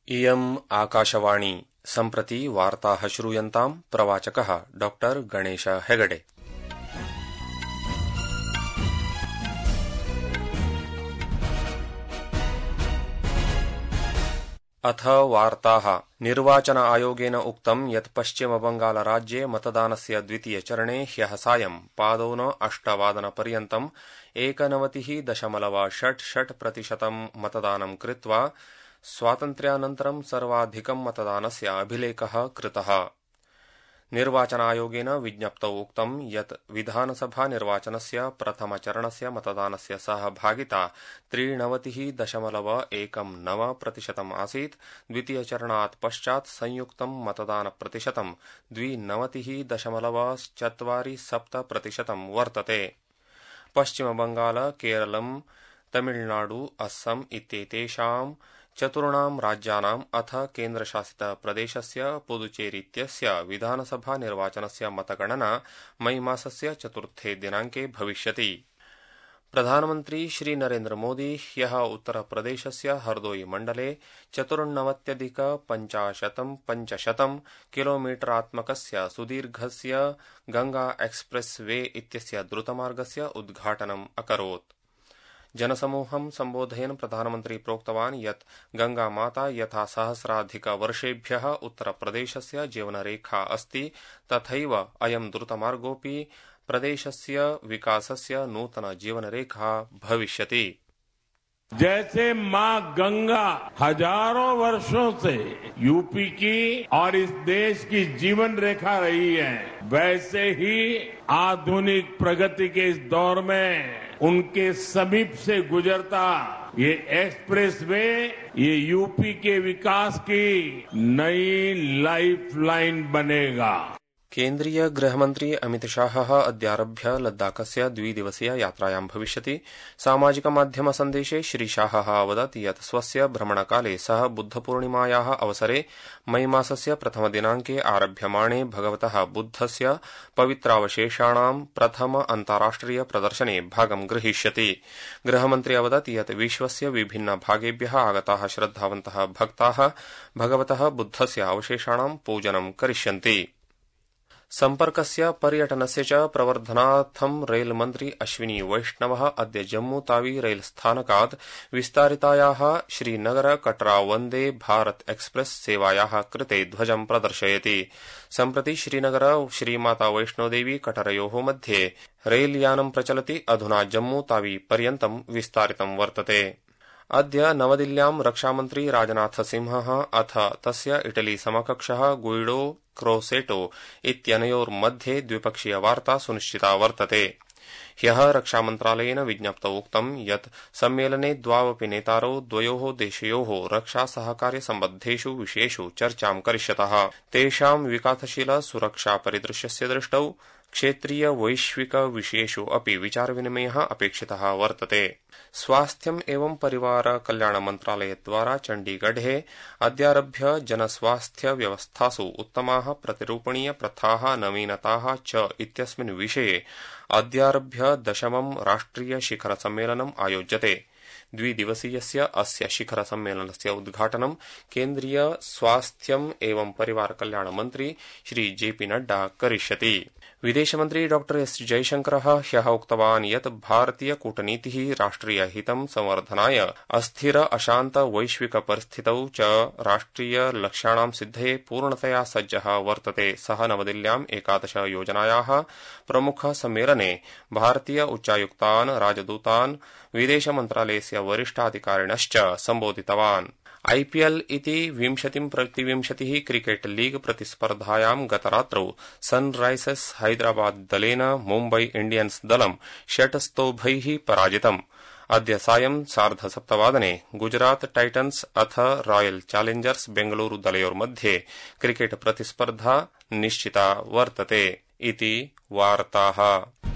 इयम् आकाशवाणी सम्प्रति वार्ताः श्रूयन्ताम् प्रवाचकः डॉक्टर गणेश हेगडे। अथ वार्ताः। निर्वाचन आयोगेन उक्तं यत् पश्चिमबंगालराज्ये मतदानस्य द्वितीयचरणे ह्यः सायं पादोन 8 वादनपर्यन्तं 91.66% मतदानं कृत्वा स्वातन्त्र्यानन्तरं सर्वाधिकं मतदानस्य अभिलेखः कृतः। निर्वाचनायोगेन विज्ञप्तौ उक्तं यत् विधानसभा निर्वाचनस्य प्रथमचरणस्य मतदानस्य सहभागिता 93.19% आसीत्। द्वितीयचरणात् पश्चात् संयुक्तं मतदानप्रतिशतं 92.47% वर्तते। पश्चिमबंगाल, केरलं, तमिलनाडु, अस्सम इत्येतेषां चतुर्णां राज्यानाम् अथ केन्द्रशासितप्रदेशस्य पुदुचेरीत्यस्य विधानसभा निर्वाचनस्य मतगणना मई मासस्य 4 दिनाङ्के भविष्यति। प्रधानमन्त्री श्री नरेन्द्र मोदी ह्यः उत्तरप्रदेशस्य हरदोई मण्डले 94,550 किलोमीटरात्मकस्य सुदीर्घस्य गंगा एक्सप्रेस वे इत्यस्य द्रुतमार्गस्य उद्घाटनम् अकरोत्। जनसमूहं सम्बोधयन् प्रधानमन्त्री प्रोक्तवान् यत् गंगा माता यथा सहस्राधिकवर्षेभ्यः उत्तरप्रदेशस्य जीवनरेखा अस्ति, तथैव अयं द्रुतमार्गोऽपि प्रदेशस्य विकासस्य नूतन जीवनरेखा भविष्यति। जैसे मां गंगा हजारों वर्षों से यूपी की और इस देश की जीवन रेखा रही है, वैसे ही आधुनिक प्रगति के इस दौर में उनके समीप से गुजरता ये एक्सप्रेस वे ये यूपी के विकास की नई लाइफलाइन बनेगा। केन्द्रीय गृहमन्त्री अमित शाहः अद्यारभ्य लद्दाखस्य 2 दिवसीय यात्रायां भविष्यति। सामाजिकमाध्यम सन्देशे श्रीशाहः अवदत् यत् स्वस्य भ्रमणकाले सः बुद्धपूर्णिमायाः अवसरे मई मासस्य प्रथमदिनाङ्के आरभ्यमाणे भगवतः बुद्धस्य पवित्रावशेषाणां प्रथम अन्ताराष्ट्रिय प्रदर्शने भागं ग्रहीष्यति। गृहमन्त्री अवदत् यत् विश्वस्य विभिन्न भागेभ्यः आगताः श्रद्धावन्तः भक्ताः भगवतः बुद्धस्य अवशेषाणां पूजनं करिष्यन्ति। सम्पर्कस्य पर्यटनस्य च प्रवर्धनार्थं रेलमन्त्री अश्विनी वैष्णवः अद्य जम्मूतावी रेलस्थानकात् विस्तारितायाः श्रीनगर कटरा वन्दे भारत एक्सप्रेस सेवायाः कृते ध्वजं प्रदर्शयति। सम्प्रति श्रीनगर श्रीमाता वैष्णोदेवी कटरयोः मध्ये रेलयानं प्रचलति। अधुना जम्मूतावी पर्यन्तं विस्तारितं वर्तते। अद्य नवदिल्ल्यां रक्षामन्त्री राजनाथसिंहः अथ तस्य इटली समकक्षः गुइडो क्रोसेटो इत्यनयोर्मध्ये द्विपक्षीय वार्ता सुनिश्चिता वर्तते। ह्यः रक्षामन्त्रालयेन विज्ञप्तौ उक्तं यत् सम्मेलने द्वावपि नेतारौ द्वयोः देशयोः रक्षा सहकार्य सम्बद्धेषु विषयेषु चर्चां करिष्यतः। तेषां विकासशील सुरक्षा परिदृश्यस्य दृष्टौ क्षेत्रीय वैश्विक विषयेषु अपि विचारविनिमयः अपेक्षितः वर्तते। स्वास्थ्यम् एवं परिवार कल्याण मन्त्रालयद्वारा चण्डीगढे अद्यारभ्य जनस्वास्थ्य व्यवस्थासु उत्तमाः प्रतिरूपणीय प्रथाः नवीनताः च इत्यस्मिन् विषये अद्यारभ्य 10मं राष्ट्रिय शिखर सम्मेलनम् आयोज्यते। 2 दिवसीयस्य अस्य शिखर सम्मेलनस्य उद्घाटनं केन्द्रीय स्वास्थ्यम् एवं परिवार कल्याण मन्त्री श्री जेपी नड्डा करिष्यति। विदेशमन्त्री डॉक्टर एस जयशंकरः ह्यः उक्तवान् यत् भारतीय कूटनीतिः राष्ट्रियहितं संवर्धनाय अस्थिर अशान्त वैश्विक परिस्थितौ च राष्ट्रिय लक्ष्याणां सिद्धये पूर्णतया सज्जः वर्तते। सः नवदिल्ल्याम् 11 योजनायाः प्रमुख सम्मेलने भारतीय उच्चायुक्तान्, राजदूतान्, विदेशमन्त्रालयस्य वरिष्ठाधिकारिणश्च सम्बोधितवान्। IPL इति 20-20 क्रिकेट लीग प्रतिस्पर्धायां गतरात्रौ सनराइजर्स हैदराबाद दलेन मुम्बई इंडियन्स दलं 6 स्तोभैः पराजितम्। अद्य सायं 7:30 गुजरात टाइटन्स अथ रॉयल चैलेंजर्स बेंगलुरु दलयोर्मध्ये क्रिकेट प्रतिस्पर्धा निश्चिता वर्तते। इति वार्ताः।